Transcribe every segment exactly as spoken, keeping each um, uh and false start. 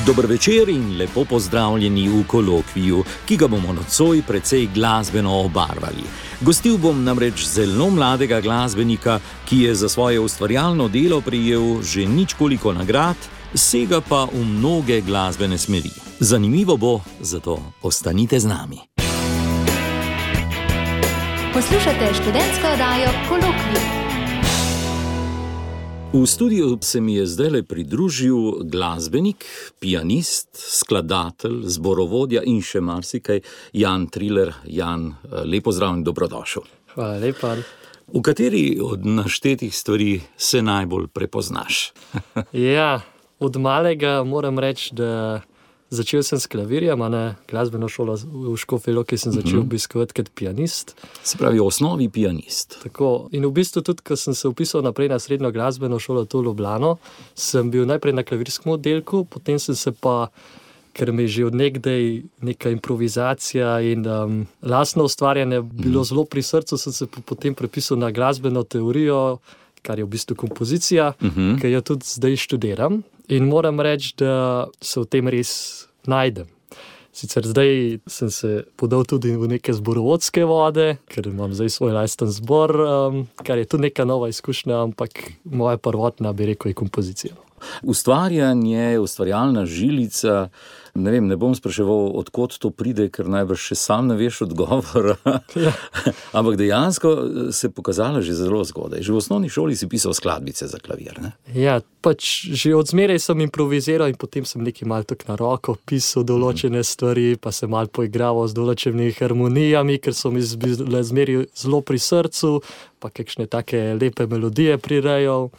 Dober večer in lepo pozdravljeni v kolokviju, ki ga bomo nocoj precej glasbeno obarvali. Gostil bom namreč zelo mladega glasbenika, ki je za svoje ustvarjalno delo prejel že ničkoliko nagrad, sega pa v mnoge glasbene smeri. Zanimivo bo, zato ostanite z nami. Poslušate študentsko oddajo Kolokvij. V studiu se mi je zdajle pridružil glasbenik, pianist, skladatelj, zborovodja in še marsikaj, Jan Triler. Jan, lepo zdrav in dobrodošel. Hvala lepa. V kateri od naštetih stvari se najbolj prepoznaš? Ja, od malega moram reči, da začel sem s klavirjem, a ne glasbeno šolo v Škofji Loki sem začel mm-hmm. obiskovati kot pianist. Se pravi, v osnovi pianist. Tako. In v bistvu tudi, ko sem se upisal naprej na srednjo glasbeno šolo tu v Ljubljano, sem bil najprej na klavirskem oddelku, potem sem se pa, ker mi je že od nekdaj neka improvizacija in um, lastno ustvarjanje bilo mm. zelo pri srcu, sem se potem prepisal na glasbeno teorijo, kar je v bistvu kompozicija, mm-hmm. ki jo tudi zdaj študiram. In moram reči, da se v tem res najdem. Sicer zdaj sem se podal tudi v neke zborovodske vode, ker imam zdaj svoj lasten zbor, um, kar je tudi neka nova izkušnja, ampak moja prvotna, bi rekel, je kompozicija. Ustvarjanje, ustvarjalna žilica, ne vem, ne bom spraševal, odkot to pride, ker najbrž še sam ne veš odgovora. Ja. Ampak dejansko se je pokazalo že zelo zgodaj. Že v osnovni šoli si pisal skladbice za klavir, ne? Ja, pač že od zmeraj sem improviziral in potem sem nekaj malo tako na roko pisal določene stvari, pa sem malo poigraval z določenimi harmonijami, ker so mi bile zmeraj zelo pri srcu, pa kakšne take lepe melodije prirejal.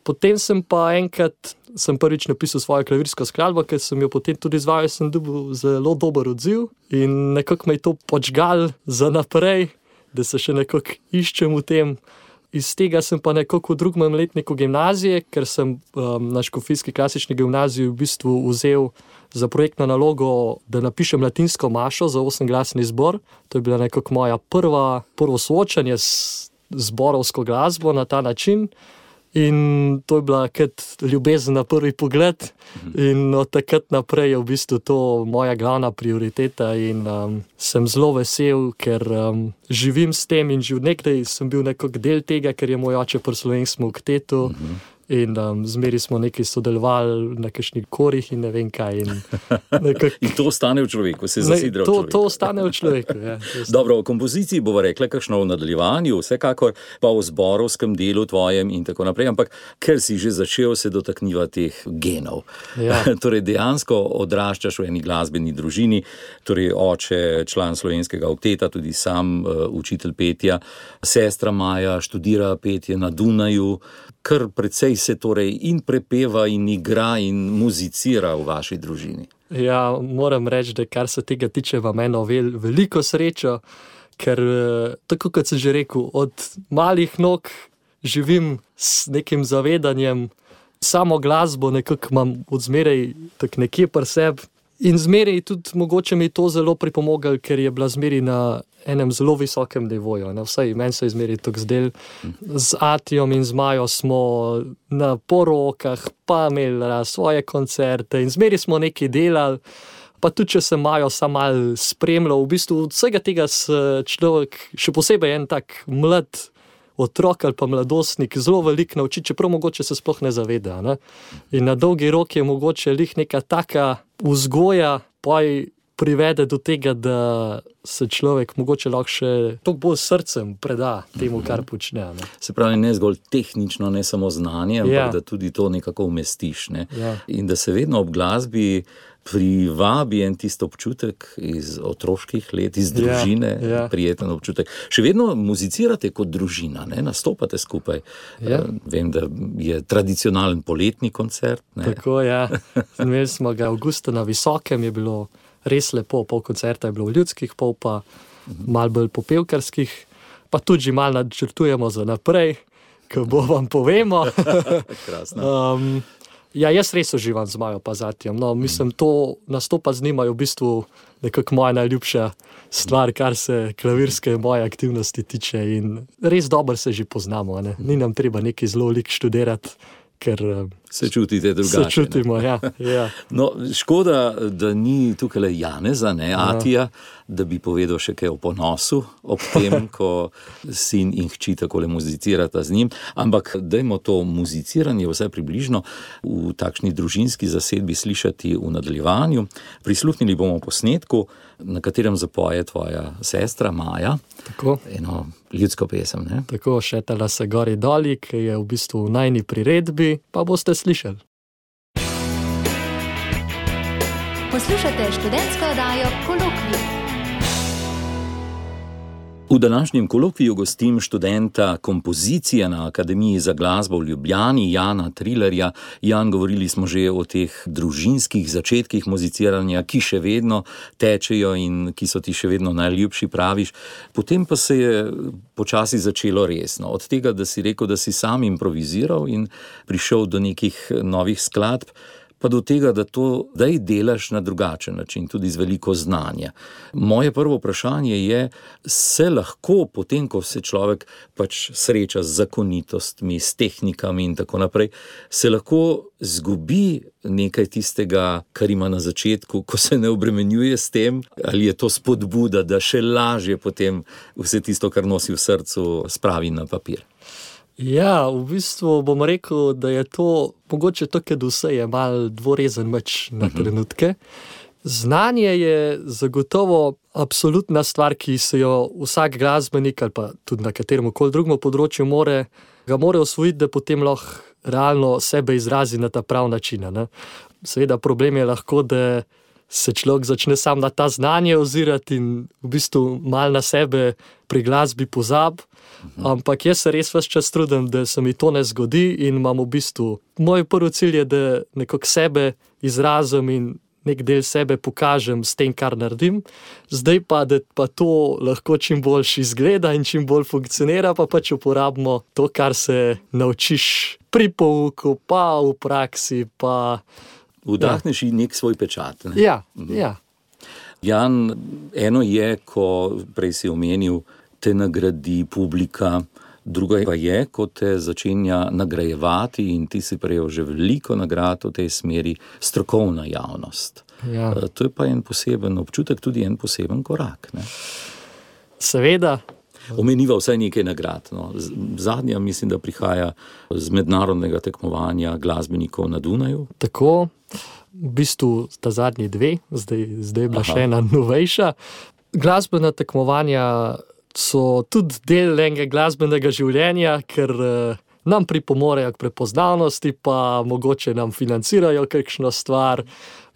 Potem sem pa enkrat, sem prvič napisal svojo klavirsko skladbo, ker sem jo potem tudi izvajal, sem dobil zelo dober odziv in nekako me je to počgal za naprej, da se še nekako iščem v tem. Iz tega sem pa nekako v drugem letniku gimnazije, ker sem um, na Škofijski klasični gimnaziji v bistvu vzel za projektno nalogo, da napišem latinsko mašo za osemglasni zbor. To je bila nekako moja prva, prvo soočanje s zborovsko glasbo na ta način. In to je bila kot ljubezen na prvi pogled in od takrat naprej je v bistvu to moja glavna prioriteta in um, sem zelo vesel, ker um, živim s tem in že nekdaj sem bil nekako del tega, ker je moj oče pri slovenskem oktetu in um, zmeri smo nekaj sodelovali na kakšnih korih in ne vem kaj. In, nekak... in to ostane v človeku, se zasidra v to, človeku. To ostane v človeku, ja. Dobro, o kompoziciji bova rekla kakšno v nadaljevanju, vsekakor pa o zborovskem delu tvojem in tako naprej, ampak ker si že začel se dotakniva teh genov. Ja. Torej dejansko odraščaš v eni glasbeni družini, torej oče, član slovenskega okteta, tudi sam uh, učitelj petja, sestra Maja študira petje na Dunaju, kar precej se torej in prepeva in igra in muzicira v vaši družini. Ja, moram reči, da kar se tega tiče, vam eno vel, veliko srečo, ker tako kot sem že rekel, od malih nog živim s nekim zavedanjem, samo glasbo nekako imam od zmeraj tak nekje pri sebi in zmeraj tudi mogoče mi to zelo pripomoglo, ker je bila zmeraj na enem zelo visokem nivoju. Vsaj meni se je zmeraj tako zdel. Z Atijom in z Majo smo na porokah, pa imeli svoje koncerte in zmeraj smo nekaj delali. Pa tudi, če sem Majo sam malo spremljal, v bistvu od vsega tega se človek, še posebej en tak mlad otrok ali pa mladostnik, zelo veliko nauči, čeprav mogoče se sploh ne zaveda. Ne? In na dolgi rok je mogoče lih neka taka vzgoja, pa privede do tega, da se človek mogoče lahko še toliko bolj srcem preda temu, kar počne. Ne? Se pravi, ne zgolj tehnično, ne samo znanje, ampak ja. Da tudi to nekako umestiš. Ne? Ja. In da se vedno ob glasbi privabi en tisto občutek iz otroških let, iz družine, ja, ja. prijeten občutek. Še vedno muzicirate kot družina, ne? Nastopate skupaj. Ja. Vem, da je tradicionalen poletni koncert. Ne? Tako, ja. Imeli smo ga avgusta na Visokem, je bilo res lepo, pol koncerta je bilo v ljudskih, pol pa malo bolj popevkarskih, pa tudi že malo načrtujemo za naprej, ko bo vam povemo. Krasno. Um, Ja, jaz res uživam z Majo Pazatijem. No, mislim, to nastopa z njima je v bistvu nekako moja najljubša stvar, kar se klavirske moje aktivnosti tiče in res dobro se že poznamo, ne? Ni nam treba neki zelo lik študirati, ker se čutite drugače. Se čutimo, ja, ja. No, škoda, da ni tukaj le Janeza, ne, Atija, da bi povedal še kaj o ponosu ob tem, ko sin in hči takole muzicirata z njim, ampak dajmo to muziciranje vsaj približno v takšni družinski zasedbi slišati v nadaljevanju. Prisluhnili bomo posnetku, na katerem zapoje tvoja sestra Maja. Tako. Eno ljudsko pesem, ne? Tako, Šetala se gori doli, ki je v bistvu v najni priredbi, pa boste slišali. Poslušate študentsko oddajo Kolokvij. V današnjem kolokviju gostim študenta kompozicije na Akademiji za glasbo v Ljubljani, Jana Trilerja. Jan, govorili smo že o teh družinskih začetkih muziciranja, ki še vedno tečejo in ki so ti še vedno najljubši, praviš. Potem pa se je počasi začelo resno. Od tega, da si rekel, da si sam improviziral in prišel do nekih novih skladb, pa do tega, da to daj delaš na drugačen način, tudi z veliko znanja. Moje prvo vprašanje je, se lahko potem, ko se človek pač sreča z zakonitostmi, s tehnikami in tako naprej, se lahko zgubi nekaj tistega, kar ima na začetku, ko se ne obremenjuje s tem, ali je to spodbuda, da še lažje potem vse tisto, kar nosi v srcu, spravi na papir. Ja, v bistvu bom rekel, da je to, mogoče to, kad vse je mal dvorezen meč na trenutke. Znanje je zagotovo absolutna stvar, ki se jo vsak glasbenik ali pa tudi na katerem koli drugem področju more, ga more osvojiti, da potem lahko realno sebe izrazi na ta prav način, ne? Seveda problem je lahko, da se človek začne sam na ta znanje ozirati in v bistvu mal na sebe pri glasbi pozab. Ampak jaz se res ves čas trudim, da se mi to ne zgodi in imam v bistvu, moj prvi cilj je, da nekako sebe izrazim in nek del sebe pokažem s tem, kar naredim. Zdaj pa, da pa to lahko čim boljš izgleda in čim bolj funkcionira, pa pač uporabimo to, kar se naučiš pri pouku, pa v praksi, pa... Vdahneš in nek svoj pečat, ne? Ja, ja. Jan, eno je, ko prej si omenil, te nagradi publika, druga pa je, ko te začenja nagrajevati in ti si prejel že veliko nagrad v tej smeri, strokovna javnost. Ja. To je pa en poseben občutek, tudi en poseben korak, ne? Seveda. Omeniva vsaj nekaj nagrad. No. Zadnja mislim, da prihaja z mednarodnega tekmovanja glasbenikov na Dunaju. Tako, v bistvu sta zadnji dve, zdaj, zdaj je bila še ena novejša. Glasbena tekmovanja so tudi del enega glasbenega življenja, ker eh, nam pripomorejo k prepoznavnosti, pa mogoče nam financirajo kakšno stvar.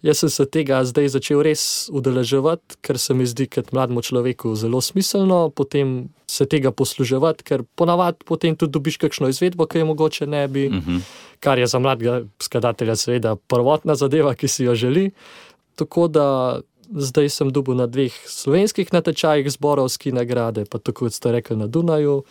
Jaz sem se tega zdaj začel res udeleževati, ker se mi zdi kot mlademu človeku zelo smiselno, potem se tega posluževati, ker ponavadi potem tudi dobiš kakšno izvedbo, ki je mogoče ne bi, uh-huh. kar je za mladega skladatelja seveda prvotna zadeva, ki si jo želi. Tako da zdaj sem dobil na dveh slovenskih natečajih zborovski nagrade, pa tako kot ste rekli na Dunaju.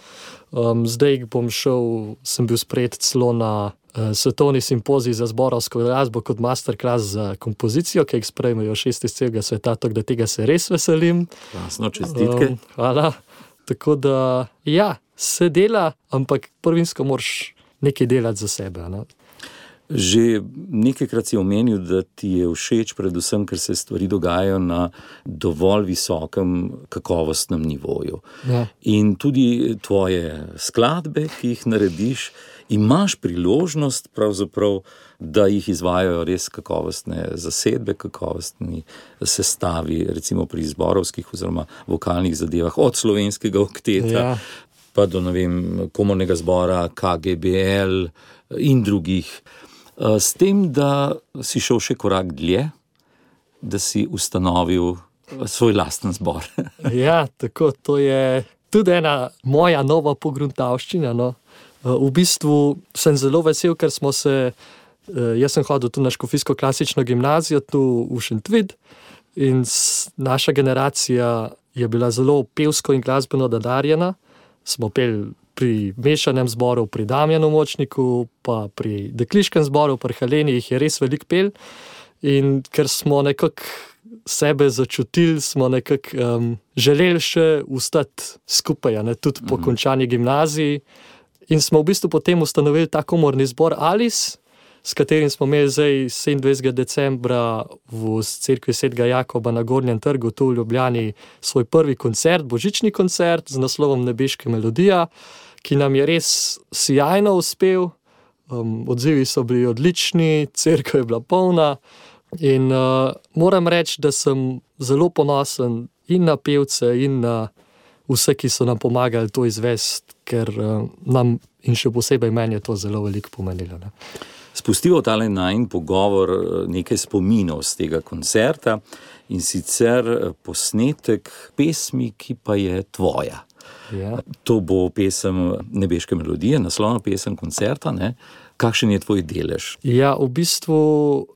Um, zdaj bom šel, sem bil sprejet celo na uh, svetovni simpozij za zborovsko glasbo kot masterclass za kompozicijo, ki jih sprejmejo šest iz celega sveta, tako da tega se res veselim. Krasno, čestitke. Um, hvala. Tako da, ja, se dela, ampak prvinsko moraš nekaj delati za sebe, ne? Že nekajkrat si omenil, da ti je všeč predvsem, ker se stvari dogajajo na dovolj visokem kakovostnem nivoju. Ja. In tudi tvoje skladbe, ki jih narediš, imaš priložnost pravzaprav, da jih izvajajo res kakovostne zasedbe, kakovostni sestavi, recimo pri zborovskih oziroma vokalnih zadevah, od slovenskega okteta, ja. pa do, ne vem, komornega zbora, K G B L in drugih. S tem, da si šel še korak dlje, da si ustanovil svoj lasten zbor. Ja, tako, to je tudi ena moja nova pogruntavščina, no. V bistvu sem zelo vesel, ker smo se, jaz sem hodil tu na škofijsko klasično gimnazijo, tu v Šentvid, in naša generacija je bila zelo pevsko in glasbeno nadarjena. Smo peli pri mešanem zboru, pri Damjanu Močniku, pa pri dekliškem zboru, pri Heleni jih je res veliko pel. In ker smo nekako sebe začutili, smo nekako um, želeli še ostati skupaj, ne, tudi po mm. končani gimnaziji. In smo v bistvu potem ustanovili ta komorni zbor Alice, s katerim smo imeli zdaj sedemindvajsetega decembra v cerkvi svetega Jakoba na Gornjem trgu tu v Ljubljani svoj prvi koncert, božični koncert z naslovom Nebeška melodija, ki nam je res sijajno uspel. Um, odzivi so bili odlični, cerkev je bila polna in uh, moram reči, da sem zelo ponosen in na pevce in na vse, ki so nam pomagali to izvesti, ker uh, nam in še posebej meni je to zelo veliko pomenilo. Ne. Spustiva tale najin pogovor nekaj spominov z tega koncerta in sicer posnetek pesmi, ki pa je tvoja. Ja. To bo pesem Nebeške melodije, naslovna pesem koncerta, ne? Kakšen je tvoj delež? Ja, v bistvu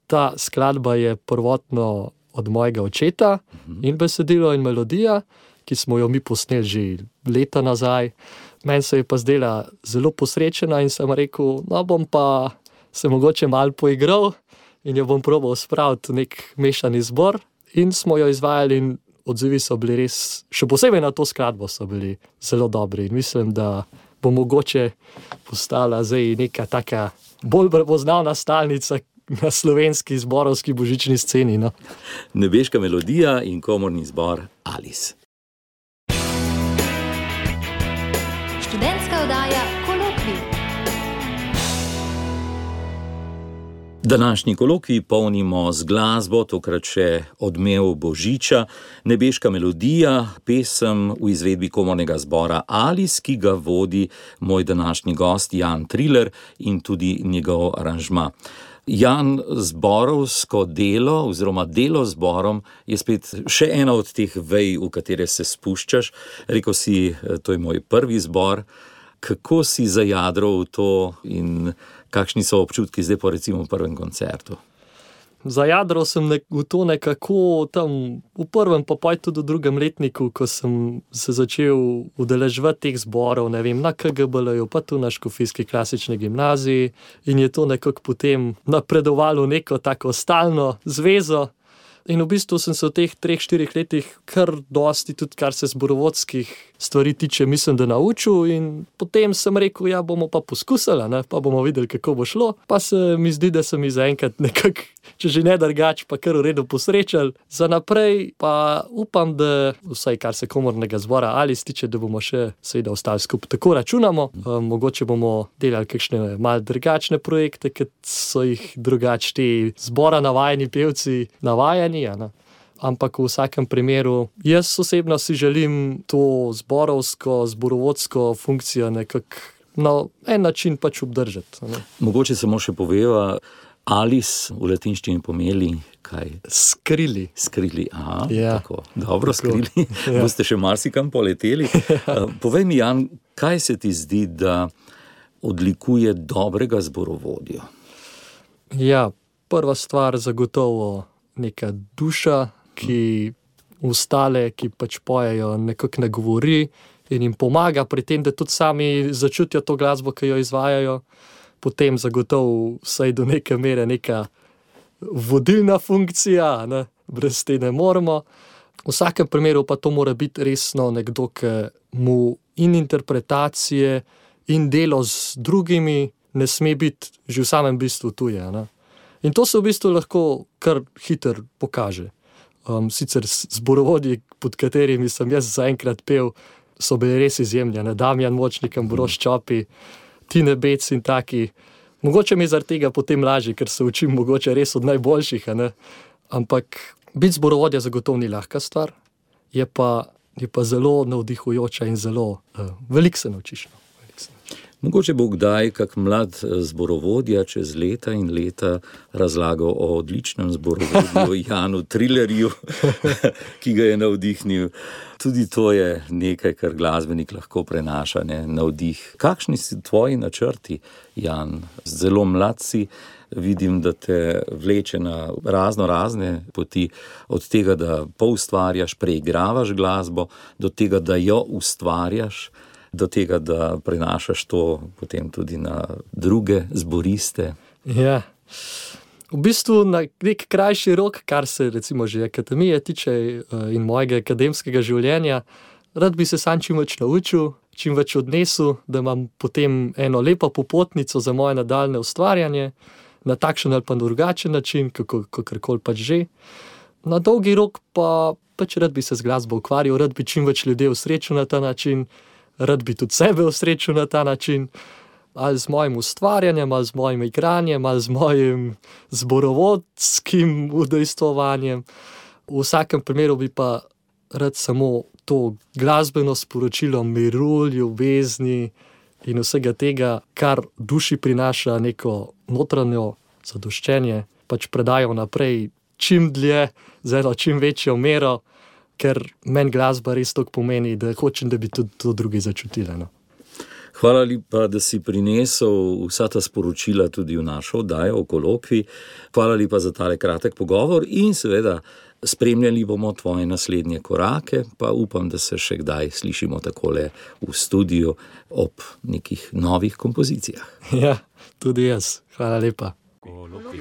ta skladba je prvotno od mojega očeta uh-huh. in besedilo in melodija, ki smo jo mi posneli že leta nazaj. Meni se je pa zdela zelo posrečena in sem rekel, no bom pa se mogoče malo poigral in jo bom probal spraviti v nek mešani zbor in smo jo izvajali in odzivi so bili res, še posebej na to skladbo so bili zelo dobri in mislim, da bo mogoče postala zdaj neka taka bolj prepoznavna stalnica na slovenski zborovski božični sceni. No? Nebeška melodija in komorni zbor Alice. Študentska oddaja Kolokvij. Današnji kolokvij polnimo z glasbo, tokrat še odmev Božiča, Nebeška melodija, pesem v izvedbi komornega zbora Alice, ki ga vodi moj današnji gost Jan Triler in tudi njegov aranžma. Jan, zborovsko delo oziroma delo zborom je spet še ena od teh vej, v katere se spuščaš. Rekel si, to je moj prvi zbor. Kako si zajadral v to in kakšni so občutki zdaj po recimo prvem koncertu? Zajadral sem nek, v to nekako tam v prvem, pa pa tudi v drugem letniku, ko sem se začel udeleževati teh zborov, ne vem, na K G B L-ju, pa tu na Škofijski klasični gimnaziji in je to nekako potem napredovalo neko tako stalno zvezo. In v bistvu sem se v teh treh, štirih letih kar dosti, tudi kar se zborovodskih stvari tiče, mislim, da naučil in potem sem rekel, ja, bomo pa poskusili, ne, pa bomo videli, kako bo šlo. Pa se mi zdi, da sem mi zaenkrat nekako, če že ne drugače, pa kar v redu posrečal. Za naprej pa upam, da vsaj kar se komornega zbora Alice tiče, da bomo še seveda ostali skupaj. Tako računamo, um, mogoče bomo delali kakšne malo drugačne projekte, kot so jih drugače ti zbora navajeni pevci navajeni. Ja, ampak v vsakem primeru jaz osebno si želim to zborovsko, zborovodsko funkcijo nekako na en način pač obdržati. Ne. Mogoče samo še poveva, Alice v latinščini pomeni kaj? Skrili. Skrili, aha, ja. Tako. Dobro, tako. Skrili. Ja. Boste še marsikam poleteli. Povej mi, Jan, kaj se ti zdi, da odlikuje dobrega zborovodjo? Ja, prva stvar zagotovo neka duša, ki ostale, ki pač pojejo, nekako ne govori in jim pomaga pri tem, da tudi sami začutijo to glasbo, ki jo izvajajo. Potem zagotovo vsaj do neke mere neka vodilna funkcija, ne? Brez te ne moremo. V vsakem primeru pa to mora biti resno nekdo, ki mu in interpretacije in delo z drugimi ne sme biti že v samem bistvu tuje, ne? In to se v bistvu lahko kar hiter pokaže. Um, sicer zborovodji, pod katerimi sem jaz zaenkrat pel, so bili res izjemni, ne? Damjan Močnik, Ambrož Čopi, Tine Bec in taki. Mogoče mi zaradi tega potem lažje, ker se učim mogoče res od najboljših, ne? Ampak biti zborovodja zagotovo ni lahka stvar, je pa, je pa zelo navdihujoča in zelo uh, veliko se naučiš. No? Mogoče bo kdaj kak mlad zborovodja čez leta in leta razlagal o odličnem zborovodju Janu Trilerju, ki ga je navdihnil. Tudi to je nekaj, kar glasbenik lahko prenaša, ne? Navdih. Kakšni si tvoji načrti, Jan? Zelo mlad si, vidim, da te vleče na razno razne poti, od tega, da poustvarjaš, preigravaš glasbo, do tega, da jo ustvarjaš. do tega, da prenašaš to potem tudi na druge zboriste. Ja. V bistvu na nek krajši rok, kar se recimo že akademije tiče in mojega akademskega življenja, rad bi se sam čim več naučil, čim več odnesel, da imam potem eno lepo popotnico za moje nadaljne ustvarjanje, na takšen ali pa drugačen način, kako, kakorkoli pač že. Na dolgi rok pa pač rad bi se z glasbo ukvarjal, rad bi čim več ljudi osrečil na ta način, rad bi tudi sebe osrečil na ta način, ali z mojim ustvarjanjem, ali z mojim igranjem, ali z mojim zborovodskim udejstvovanjem. V vsakem primeru bi pa rad samo to glasbeno sporočilo miru, ljubezni in vsega tega, kar duši prinaša neko notranjo zadoščenje, pač predajal naprej čim dlje, z eno čim večjo mero, ker meni glasba res toliko pomeni, da hočem, da bi tudi to drugi začutili. No. Hvala lepa, da si prinesel vsa ta sporočila tudi v našo oddajo o kolokvi. Hvala lepa za tale kratek pogovor in seveda spremljali bomo tvoje naslednje korake, pa upam, da se še kdaj slišimo takole v studiu ob nekih novih kompozicijah. Ja, tudi jaz. Hvala lepa. Kolokvi.